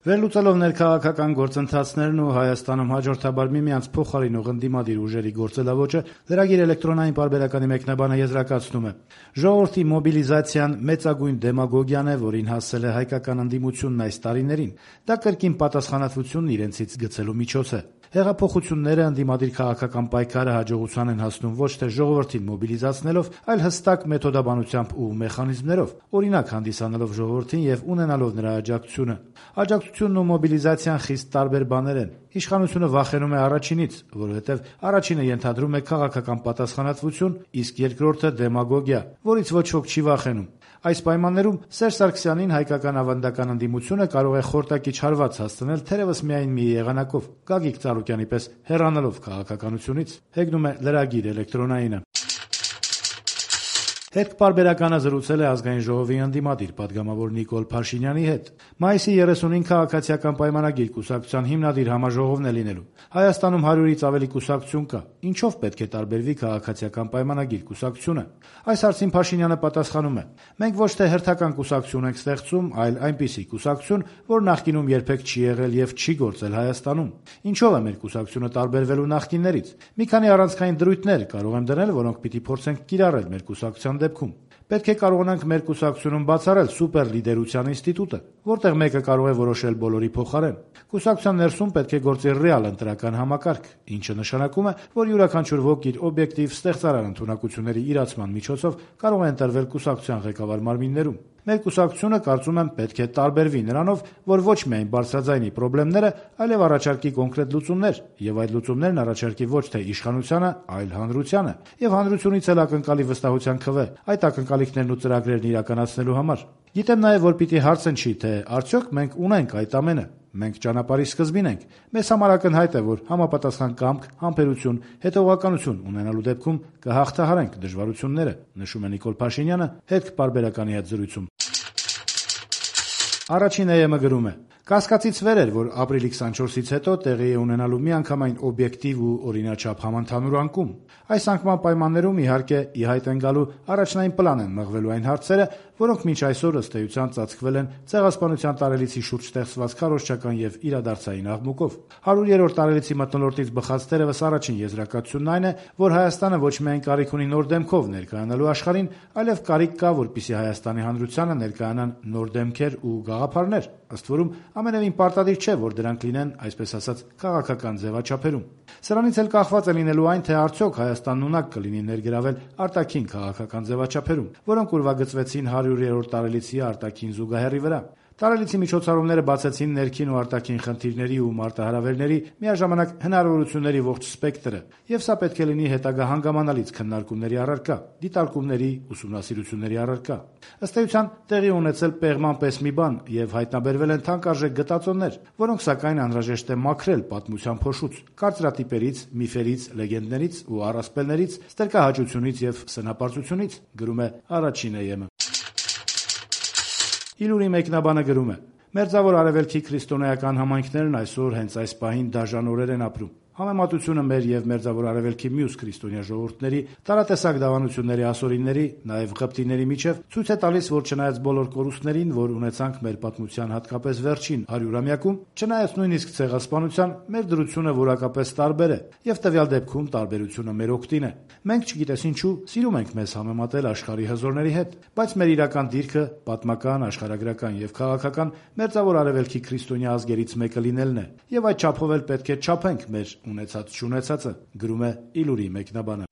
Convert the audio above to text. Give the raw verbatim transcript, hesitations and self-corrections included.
Վերլուծելով ներքաղաքական գործընթացներն ու Հայաստանում հաջորդաբար միմյանց փոխարինող ընդդիմադիր ուժերի գործելաոճը, լրագիր էլեկտրոնային պարբերականի մեկնաբանը եզրակացնում է. «Ժողովրդի մոբիլիզացիան մեծագույն դեմագոգիան է, որին հասել է հայկական ընդդիմությունն այս տարիներին: Դա կրկին պատասխանատվությունն իրենցից գցելու միջոց է: Հեղափոխությունները, ընդդիմադիր քաղաքական պայքարը հաջողության են հասնում ոչ թե ժողովրդին մոբիլիզացնելով, այլ հստակ մեթոդաբանությամբ ու մեխանիզմներով, օրինակ հանդիսանալով ժողովրդին եւ ունենալով նրա աջակցությունը: Աջակցությունն ու մոբիլիզացիան խիստ տարբեր բաներ են: Իշխանությունը վախենում է առաջինից, որովհետեւ առաջինը ենթադրում է քաղաքական պատասխանատվություն, իսկ երկրորդը՝ դեմագոգիա, որից ոչ ոք չի վախենում: Այս պայմաններում Սերժ Սարգսյանին հայկական ավանդական ընդդիմությունը կարող է խորտակիչ հարված հասցնել թերեւս միայն մի եղանակով՝ Գագիկ Ծառուկյանի պես հեռանալով քաղաքականությունից»: Հեգնում է լրագիր էլեկտրոնայինը: «Հետք» պարբերականը զրուցել է Ազգային ժողովի ընդդիմադիր պատգամավոր Նիկոլ Փաշինյանի հետ: Մայիսի երեսունին Քաղաքացիական պայմանագիր կուսակցության հիմնադիր համաժողովն է լինելու: Հայաստանում հարյուրից ավելի կուսակցություն կա: Ինչո՞վ պետք է տարբերվի Քաղաքացիական պայմանագիր կուսակցությունը: Այս հարցին Փաշինյանը պատասխանում է. «Մենք ոչ թե հերթական կուսակցություն ենք ստեղծում, այլ այնպիսի կուսակցություն, որ նախկինում երբեք չի եղել եւ չի գործել Հայաստանում: Ինչո՞վ է մեր կուսակցությունը տարբերվելու նախկիններից: Մի քանի առանցքային դրույթներ կարող եմ դնել, որոնք պիտի փորձենք կիրառել մեր կուսակցության դեպքում: Պետք է կարողանանք մեր կուսակցությունում բացառել սուպերլիդերության ինստիտուտը, որտեղ մեկը կարող է որոշել բոլորի փոխարեն: Կուսակցության ներսում պետք է գործի ռեալ ընտրական համակարգ, ինչը նշանակում է, որ յուրաքանչյուր ոք իր օբյեկտիվ ստեղծարար ընդունակությունների իրացման միջոցով կարող է ընտրվել կուսակցության ղեկավար մարմիններում: Մեր կուսակցությունը, կարծում եմ, պետք է տարբերվի նրանով, որ ոչ միայն բարձրաձայնի պրոբլեմները, այլև առաջարկի կոնկրետ լուծումներ, եւ այդ լուծումներն առաջարկի ոչ թե իշխանությանը, այլ հանրությանը, եւ հանրությունից էլ ակնկալի վստահության քվե այդ ակնկալիքներն ու ծրագրերն իրականացնելու համար: Գիտեմ նաեւ, որ պիտի հարց հնչի, թե արդյոք մենք ունենք այդ ամենը: Մենք ճանապարհի սկզբին ենք: Մեզ համար ակնհայտ է, որ համապատասխան կամք, համբերություն, հետեւողականություն ունենալու դեպքում կհաղթահարենք դժվարությունները», նշում է Նիկոլ Փաշինյանը «Հետք» պարբերականի հետ զրույցում: Առաջին է ԵՄ գրում է. «Կասկածից վեր էր, որ ապրիլի քսանչորսից հետո տեղի է ունենալու միանգամայն օբյեկտիվ ու օրինաչափ համընդհանուր անկում: Այս անկման պայմաններում, իհարկե, ի հայտ են գալու առաջնային պլան են մղվելու այն հարցերը, որոնք մինչ այսօր, ըստ էության, ծածկվել են Ցեղասպանության տարելիցի շուրջ ստեղծված քարոզչական եւ իրադարձային աղմուկով: հարյուրերորդ տարելիցի մթնոլորտից բխած թերեւս առաջին եզրակացությունն այն է, որ Հայաստանը ոչ միայն կարիք ունի նոր դեմքով ներկայանալու աշխարհին, այլեւ կարիք կա, որպեսզի Հայաստանի հանրությանը ներկայանան նոր դեմքեր ու գաղափարներ, ըստ որում ամենեւին պարտադիր չէ, որ դրանք լինեն, այսպես ասած, քաղաքական ձեւաչափերում: Սրանից էլ կախված է լինելու այն, թե արդյոք Հայաստանն ունակ կլինի ներգրավել արտաքին քաղաքական ձեւաչափերում, որոնք ուրվագծվեցին հարյուրերորդ տարելիցի արտաքին զուգահեռի վրա: Տարելիցի միջոցառումները բացեցին ներքին ու արտաքին խնդիրների ու մարտահրավերների, միաժամանակ հնարավորությունների ողջ սպեկտրը, եւ սա պետք է լինի հետագա հանգամանալից քննարկումների առարկա, դիտարկումների, ուսումնասիրությունների առարկա: Ըստ էության, տեղի է ունեցել պեղման պես մի բան եւ հայտնաբերվել են թանկարժեք գտածոներ, որոնք սակայն անհրաժեշտ է մաքրել պատմության փոշուց, կարծրատիպերից, միֆերից, լեգենդներից ու առասպելներից, ստրկահաճությունից եւ սնապարծությունից», գրում է «Առաջին է ԵՄ»: «Իլուրի» մեկնաբանը գրում է. «Մերձավոր Արևելքի քրիստոնեական համայնքներն այսօր հենց այս պահին դաժան օրեր են ապրում: Համեմատությունը մեր եւ Մերձավոր Արևելքի մյուս քրիստոնյա ժողովուրդների, տարատեսակ դավանությունների ասորիների, նաեւ ղպտիների միջեւ ցույց է տալիս, որ չնայած բոլոր կորուստներին, որ ունեցանք մեր պատմության հատկապես վերջին հարյուրամյակում, չնայած նույնիսկ Ցեղասպանության, մեր դրությունը որակապես տարբեր է, եւ տվյալ դեպքում տարբերությունը մեր օգտին է: Մենք, չգիտես ինչու, սիրում ենք մեզ համեմատել աշխարհի հզորների հետ, բայց մեր իրական դիրքը, պատմական, աշխարհագրական եւ քաղաքական, Մերձավոր Արևելքի քրիստոնյա ազգերից մեկը լինելն է, եւ այդ չափով էլ պետք է չափենք մեր ունեցած-չունեցածը», գրում է «Իլուրի» մեկնաբանը: